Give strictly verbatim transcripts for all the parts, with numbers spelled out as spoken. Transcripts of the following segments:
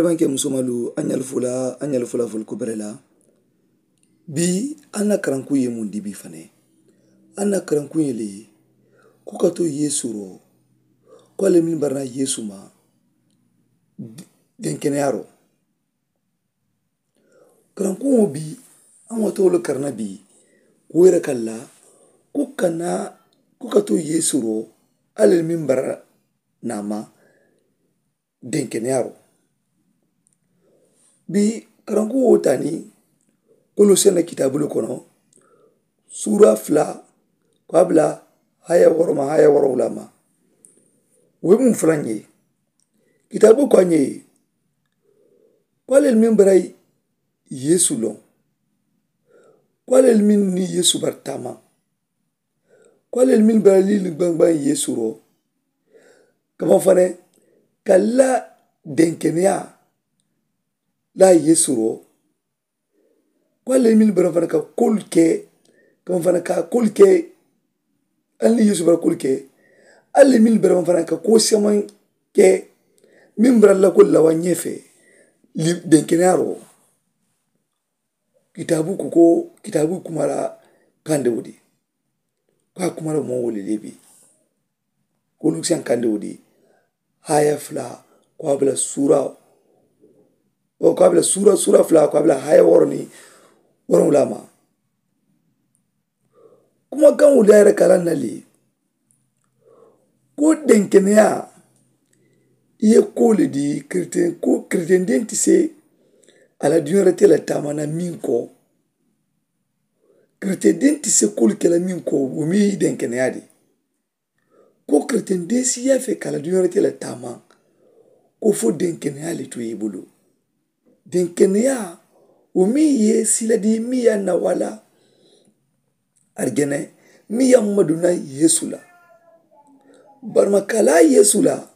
N ke musomalu, a ɲalu fula a ɲalu fula fulu kubere la. Bii a na karanku ye mun di bii fane? A na karanku ye le ko ka to yesu ro, ko ale min barana yesu ma denkeneyaro. Karanku wo bii a ŋo to wolu karana bii, ko yere kalla ko ka na ko ka to yesu ro, ale min barana ma denkeneyaro. Bii karanku wo tani kolo sene kitaabulu kono, suura fula ko a bula haya woroma haya worowula ma. Wo be mun fula ŋe? Kitaabu ko a ŋe ko ale min bara yesu loŋ, ko ale min ni yesu bara taama, ko ale min bara lili gbangbaŋ yesu ro, kama fane ka la denkeneya la yesu ro. Ko ale min bara fana ka kolu ke, kama fana ka kolu ke. Ali ni yesu bara kolu ke, ali min bara fana ka ko seman ke, min bara la kolu la wa ɲefe denkeneyaro. Kitaabu ko ko kitaabu kumara kande wudi. Ko a kumara mo wole lebi ko lukisiyan kande wudi. Haya fula ko a bula suura ko a bula suura suura fula ko a bula haya woro ni woro wula ma. Kuma kan wuli a yere kala nali ko denkeneya i ye ko le di kreten ko kreten den ti se a la duniya te la tamana min ko kreten den ti se kolu kela min ko wo mi denkeneya di. Ko kreten den si ya fe kala duniya te la tama ko fo denkeneya le to ye bulu. Denkeneya wo mi ye sila di mi ya na wala arjene mi ya maduna yesu la. Barma kala yesu la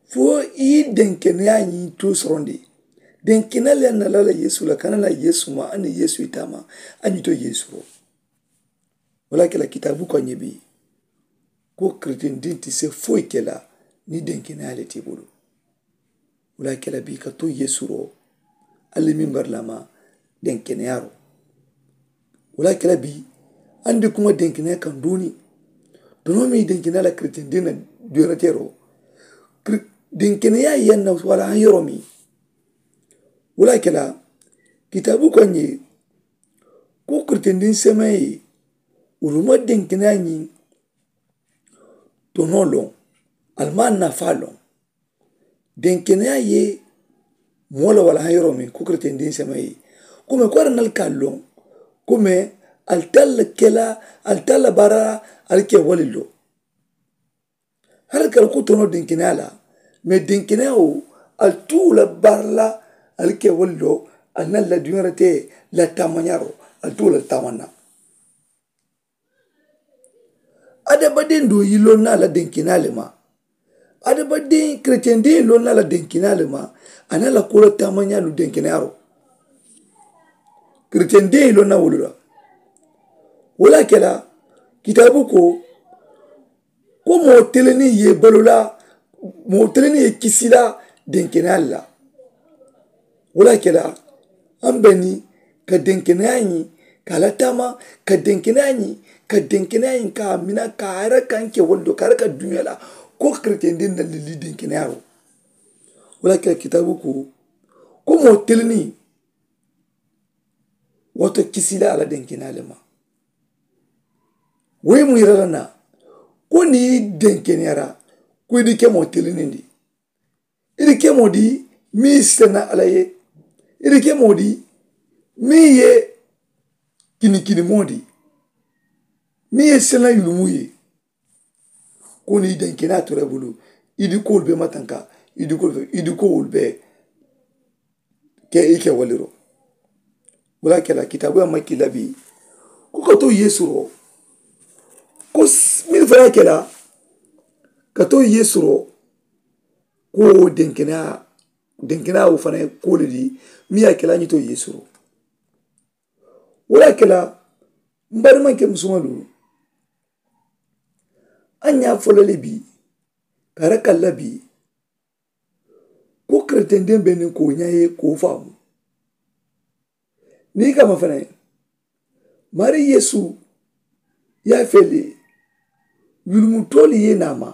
fo i denkeneya ni to sorondi. Denkeneya le na lala yesu la kana na yesu ma ani yesu itama ani to yesu ro. Wala kela kitabu ko ɲebi ko kreten din ti se foyi kela ni denkeneya le ti bulu. Wala kela bi ka to yesu ro ali min barlama denkeneya ro. Wala kela bi andi kuma denkeneya kan duni dono mi denkeneya la kreten din na duyarate ro. Denkeneya yan na wala an yoro mi. Wala kela kitabu ko ɲe ko kreten din semaye wolu ma denkeneya ɲi tono loŋ. Ali ma nafa loŋ denkeneya ye moo la wala haŋ yoro meŋ ko kreten din semaye. Kome ko ari nali ka loŋ kome ali talla kela ali talla bara ali ke wali lo. Hari kala ko tono denkeneya la me denkeneya wo ali tuula bara la ali ke wali lo. Ali na la duniya te la tamaɲaro ali tuula tamaɲa. Adabaden do yi lonna la denkeneya le ma. Adabaden kreten den yi lonna la denkeneya le ma. A na la kola tamaɲa lu denkeneya ro. Kreten den yi lonna wolu la. Wala kela kitabu ko ko moo teleni ye balola moo teleni ye kisila denkeneya la. Wala kela an beni ka denkeneya ɲi ka la tama ka denkeneya ɲi ka denkeneya ɲi ka mina ka ara kan ke wala do ka ara ka duniya la ko kreten den na lili denkeneya ro. Wala kela kitabu ko ko moo teleni wato kisila ala denkeneya le ma. Wo ye mu yira la na ko ni denkeneyara ko i di ke moo teleni di. I di ke moo di mi sena ala ye. I di ke moo di mi ye kinikini moo di mi ye sena yulumu ye. Ko ni denkeneya tora i bulu i di ko wolu be matanka i di ko wolu be ke i ke wali ro. Wala kela kitabu ya ma kila bi ko ka to yesu ro ko min fana kela ka to yesu ro ko denkeneya denkeneya wo fana ko le di mi ya kela ni to yesu ro. Wala kela mbari man ke musuma lu an ya fola le bi kara kala bi Ko keretendiŋ be niŋ ko ñaa ye ko faamu. Niŋ i ka ma fanaŋ, maarii yeesu ye a fee le, yulumutoolu ye naa ma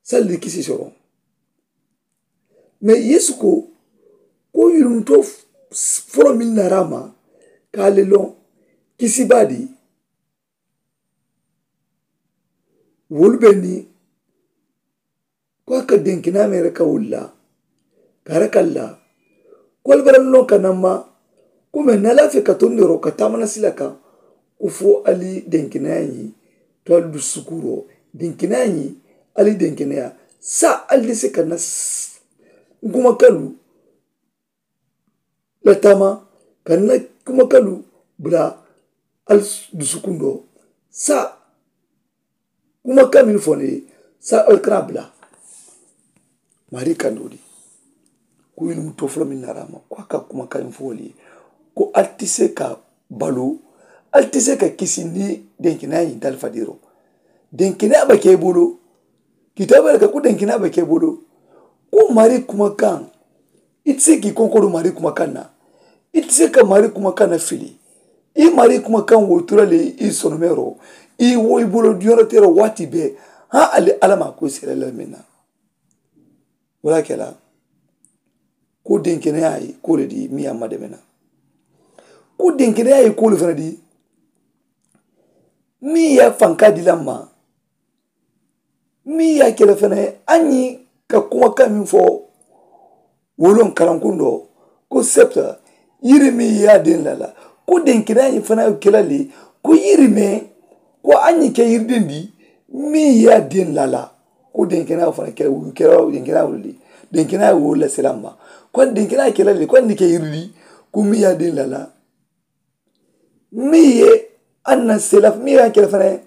sali di kisi soroŋ. Mee yeesu ko, ko yulumutoo foloo mennu naara a ma ka a le loŋ, kisi baa di wolu be niŋ ko a ka denkinaa meŋ reka wolu la ka reka la. Ko ali bara loŋ ka namma ko meŋ na laafee ka tondiroo ka taamana sila kaŋ, ko fo ali denkinaa ñiŋ to ali dusukuroo denkinaa ñiŋ ali denkinaa saayiŋ ali de se ka na n kuma kalu la taama ka n na kumakalu bula ali dusukundoo. Saayiŋ kumakaŋ mennu fo ne ye saayiŋ ali kana a bula. Maarii kandoo di ko yilimu too foloo mennu naara a ma ko a ka kumakaŋ fo wolu ye ko ali ti se ka baluu, ali ti se ka kisi niŋ denkeneyaa ñiŋ nte ali fadiiroo denkeneyaa be ke i bulu. Kitaaboo le ka ko denkeneyaa be ke i bulu. Ko maarii kumakaŋ i ti se ka i konkodu maarii kumakaŋ na. I ti se ka maarii kumakaŋ na fili i maarii kumakaŋ wo i tura le i sonomeeroo i wo i bulu diyonotero waati bee. Haa ali alla maa ko i seere la meŋ na wo le a ke la. Ko denkeneyaa ye ko le di meŋ ye a mademe na ko denkeneyaa ye ko le fana di meŋ ye a fankaa di la ma. Meŋ ye a ke le fanaŋ a ñiŋ ka kumakaŋ meŋ fo wo loŋ karankundoo ko septa yiri meŋ ye a deŋ la la ko denkeneyaa ñiŋ fanaŋ ye ke la le ko yiri meŋ ko a ñiŋ ke yiri deŋ di meŋ ye a deŋ la la ko denkeneyaa fanaŋ ke la denkeneyaa wolu di denkeneyaa wolu la selaŋ ma ko denkeneyaa ke la le ko a ñiŋ ke yiri di ko meŋ ye a deŋ la la. Meŋ ye a na sela meŋ ye a ke la fanaŋ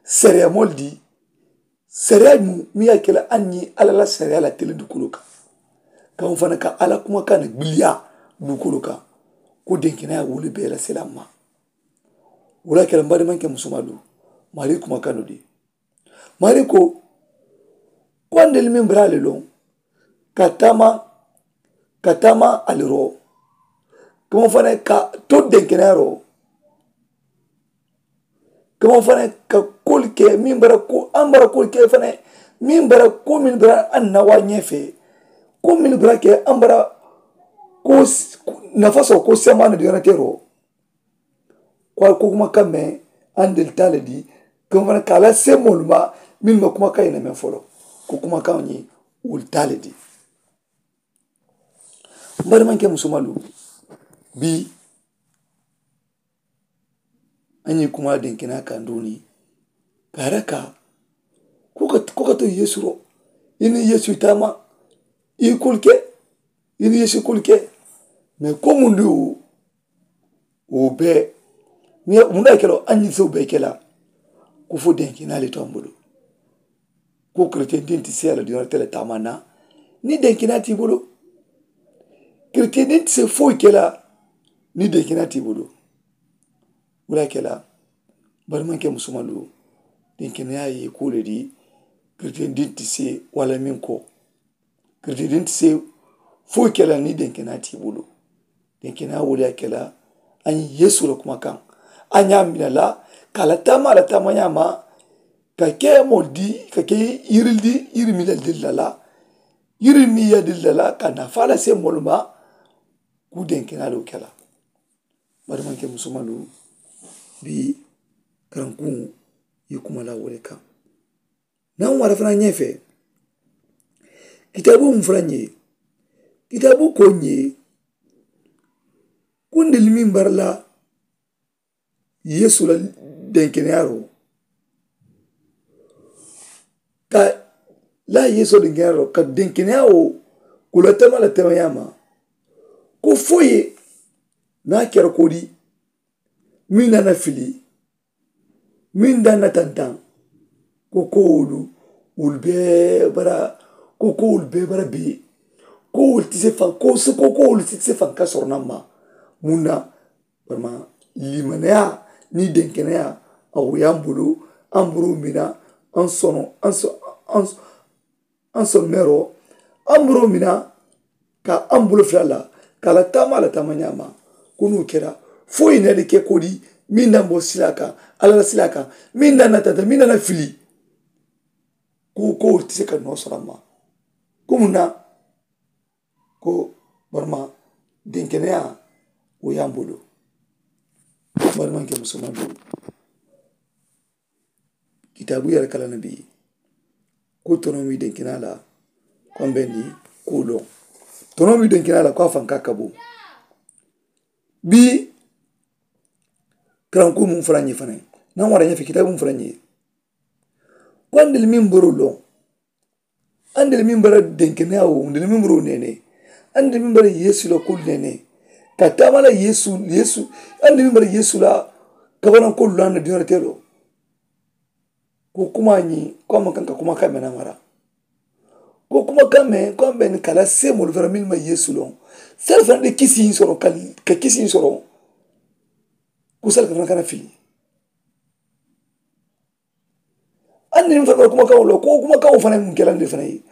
sariya moolu di sariya mu meŋ ye a ke la a ñiŋ alla la sariya la tele dukulu kaŋ. Kaŋ fanaŋ ka alla kumakaŋ na gbiliyaa dukulu kaŋ ko denkeneyaa wolu bee la sela ma. Wo le ye a ke la n baadimanke musumalu maarii kumakaŋ nu di. Maarii ko ko a ntelu meŋ bara le loŋ ka taama ka taama ali roo kama fanaŋ ka to denkeneyaa roo kama fanaŋ ka koolu ke meŋ bara ko aŋ bara koolu ke fanaŋ meŋ bara ko meŋ bara aŋ na waa ñee fee ko meŋ bara ke aŋ bara ko nafa soŋ ko semaani diyonotero. Ko a ye ko kumakaŋ meŋ aŋ deli taa le di kama fanaŋ ka a la semoolu ma mennu ma kumakaŋ ye na meŋ foloo ko kumakaŋo ñiŋ wolu taa le di. N baadimanke musumalu bii a ñiŋ kuma denkeneyaa kaŋ duuni ka a raka ko ka to yeesu ro i niŋ yeesu i taama i kulu ke i niŋ yeesu i kulu ke. Mee ko mundu wo bee mundu a ke la a ñiŋ sewo bee ke la ko fo denkeneyaa le to a bulu. Ko keretiyentiŋ ti seeyaa la duniyaa te le taama na niŋ denkeneyaa ti i bulu. Keretiyentiŋ ti se foyi ke la niŋ denkeneyaa ti i bulu. Wo le ye a ke la balimanke musumalu denkeneyaa ye i kuu le di. Keretiyentiŋ ti se walla meŋ ko keretiyentiŋ ti se foyi ke la niŋ denkeneyaa ti i bulu. Denkeneyaa wo le ye a ke la a ñiŋ yeesu la kumakaŋ a ñaa mina la ka a la taama a la taama ñaama ka ke moo di ka ke yiri di yiri miŋ la deli la la yiri miŋ ye a deli la la ka nafaa lase moolu ma. Kuu denkenaalu ke la bari maŋ ke musumalu bii karankuŋo ye kuma la wo le kaŋ. Naŋ wara fanaa ñee fee kitaabu mu fanaa ñee kitaabu ko ñee kundili miŋ bara la yeesu la denkeneyaaroo ka laa yeesu la denkeneyaaroo ka denkeneyaa wo kula tama la tamayaa ma ko fo ye naa kera kodi miŋ na na fili miŋ da na tantaŋ ko ko wolu wolu bee bara ko ko wolu bee bara bee ko wolu ti se faŋ ko se ko ko wolu ti se faŋ ka soro na ma muŋ na barima limaneyaa niŋ denkeneyaa a wo ye a bulu a buru mina a sono a sono meeroo Amburoo mina ka ambuloo fila la ka a la taamaa la taama ñaama. Kunuu kera fo i na di ke kodi min na mboo silaa ka ala la silaa ka min na na tata min na na fili. Ko ko ti se ka noo sara ma ko mun na ko barma denkeneya wo yambulu. Barma ke musulman do. Kitaabu yere kala na bi ko tono mi denkenaa la ko mbendi ko lo tono mi denkenaa la ko a fanka kabo. Bi karanku mun fara ñi fana na wara ñi fi kitaabu mun fara ñi. Ko andel min boro lo andel min bara denkeneya wo andel min boro nene andel min bara yesu la kul nene ka tamala yesu yesu andel min bara yesu la kabana kul la na diño telo. Ko kuma ñi ko man kan ka kuma kamena mara ko kuma kame ko ambe ni kala semol fara min ma yesu lon. Sel fana de kisi soro ka kisi soro. Ko sel fana kana fili. Anni n fana kuma kaŋo la ko kuma kaŋo fana mun kelandi fana ye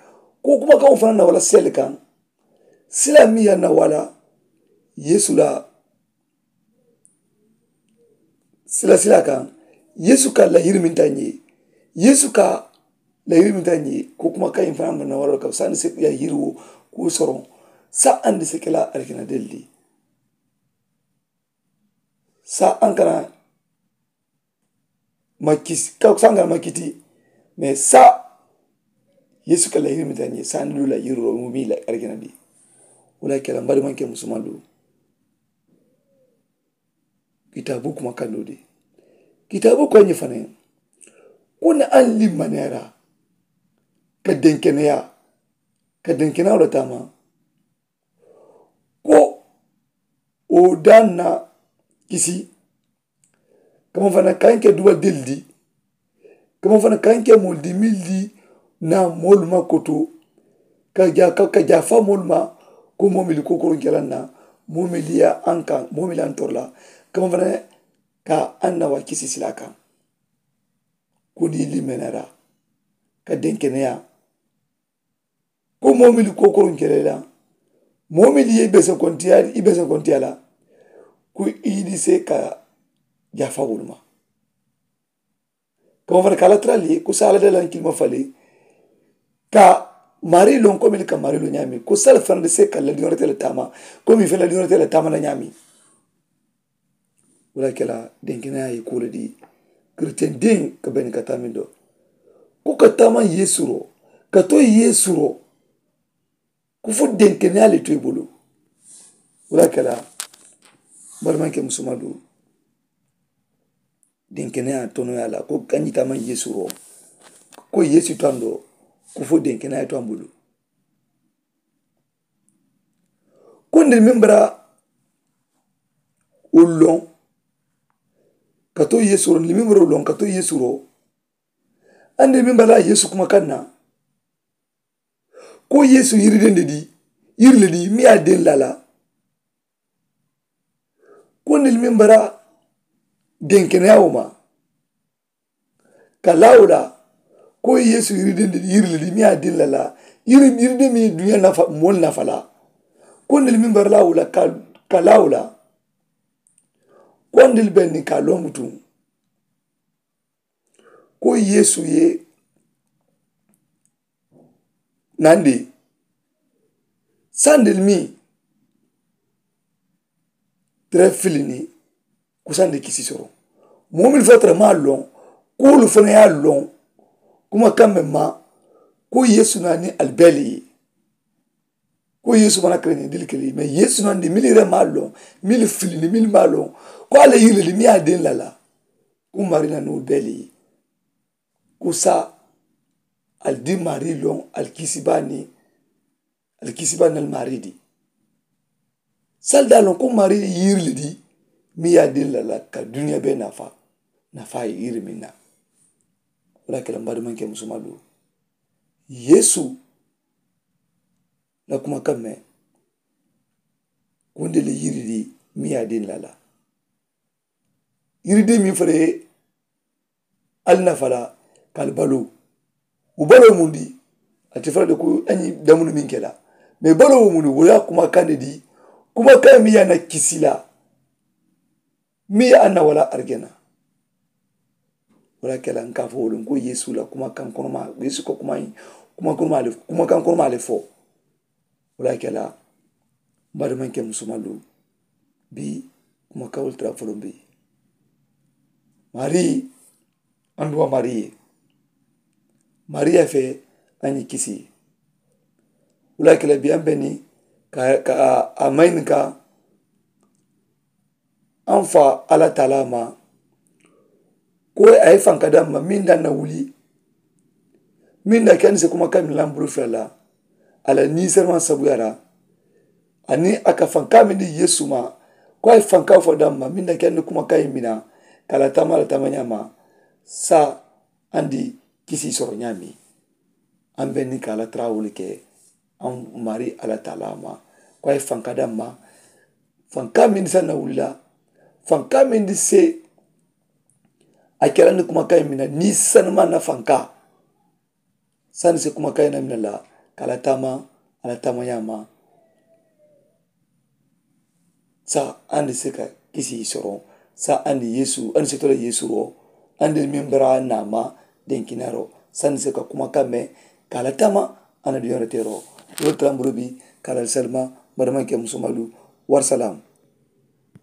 ko kuma kaŋo fana na wala seli kaŋ. Sila mi ya na wala yesu la sila sila kaŋ. Yesu ka la yiri min ta ñe yesu ka la yiri min ta ñe ko kuma kaŋ fana mun na wala ka sani se ya yiri wo ko soro. Sa andi se kela alikina delli sa an kana ma kisi ka sanga ma kiti. Mais sa yesu ka la yiri mi ta ñe sa ni lu la yiri ro mu mi la argina di. Wala kala mbari man ke musulman du. Kitabu kuma kando de kitabu ko ñi fane. Kuna an li manera ka denkeneya ka denkeneya wala tama ko o dan na kisi. Kama fana kaŋ ke duba deli di kama fana kaŋ ke moolu di mili di na moolu ma koto ka ja ka ja fa moolu ma. Ko moomili kokoroŋ kela na moomili ya an kaŋ moomili an torola kama fana ka an na wa kisi sila kaŋ. Ko ni limenera ka denkeneya ko moomili kokoroŋ kele la moomili ye i besekontiya i besekontiya la. Ko i ni se ka jafa wolu ma. Kama fana ka ala tara le ko sa ala dala kilima fale ka mari loŋ ko mili ka mari loŋ ñaami ko sala fana de se ka ladiŋo te le taama ko mi fe ladiŋo te le taama la ñaami. Wala kela denkeneya ye kuu le di. Kiritien diŋ ka beni ka taamin do ko ka taama yeesu ro ka to yeesu ro. Ko fo denkeneya le to i bulu. Wala kela barimanke musuma du denkeneya tonoya la ko kañi taama yeesu ro ko yeesu tando ko fo denkeneya to a bulu. Ko nde meŋ bara wo loŋ ka to yeesu ro nde meŋ bara wo loŋ ka to yeesu ro. Ande meŋ bara yeesu kuma kaŋ na ko yeesu yiriden de di yiri le di meŋ ye a deŋ la la. Ko nde meŋ bara denkeneya wo ma ka laa wo la ko yeesu yiriden de yiri le di meŋ ye a deŋ la la yiri yiriden meŋ ye duniya nafa moolu nafa la. Ko nde meŋ bara laa wo la ka laa wo la ko nde be niŋ ka loŋ butuŋ ko yeesu ye nandi sandel mi tere filini kusandi kisi soro. Moo mil fo tere maa loŋ kuulu fana ye a loŋ kuma kambe ma ko yeesu na ni albeli ye. Ko yeesu mana kere ni dili kele mais yeesu na ni mili re maa loŋ mili filini mili maa loŋ ko ala yilili mi ye a den lala. Ko mari na ni albeli ye. Ko sa ali di mari loŋ ali kisi baa ni ali kisi baa ni ali mari di. Sali daa loŋ ko mari yiri le di mi ye a di la la ka duniya be nafa nafa ye yiri mi na. Wala kela mbadi manke musuma du yeesu la kuma kamme. Kunde le yiri di mi ye a di la la yiri di mi fere ali nafa la ka ali baloo. Wo baloo mundi A te fo la de ko a ñiŋ damunu meŋ ke la. Mee baloo wo munu wo ye a kumakaŋ ne di, kumakaŋ meŋ ye a na kisi la, meŋ ye a na wala arijana. Wo le ye a ke la n ka a fo wo le n ko yeesu la kumakaŋ konomaa yeesu ka kuma kuma konomaa le kuma kaŋ konomaa le fo. Wo le ye a ke la n baadimanke musumalu, bii kuma kawulu tara foloŋ bii. Marii, an duwa marii ye, marii ye a fee a ñiŋ kisi. Wo le ye a ke la bii an be niŋ ka ka a mayini ka an fa alla taalaa ma ko a ye fanka daŋ ma meŋ daŋ na wuli meŋ na ke a ni se kuma kaŋ meŋ la n bulu fula la a la niiseremaŋ sabuyaa la. Aniŋ a ka fanka meŋ di yeesu ma ko a ye fanka fo daŋ ma meŋ na ke a ni kuma kaŋ ye mina ka a la taama a la taama ñaama. Saa andi kisi soro ñaami. An be niŋ ka a la taraawolu ke an maari alla taalaa ma ko a ye fanka daŋ ma fanka meŋ di saŋ na wuli la fanka meŋ di se a ke la ni kumakaŋ ye mina niŋ sanumaŋ na fanka saŋ ni se kumakaŋ ye na mina la ka a la taama a la taama ñaama. Saa andi se ka kisi soroŋ saa andi yeesu andi se to la yeesu ro andi mimbara naama denkinaro sanni se ka kuma kamme ka a la tama. Ana duyara tero wolu tara mburu bi ka a la salima madamanke musumalu. Warisalam.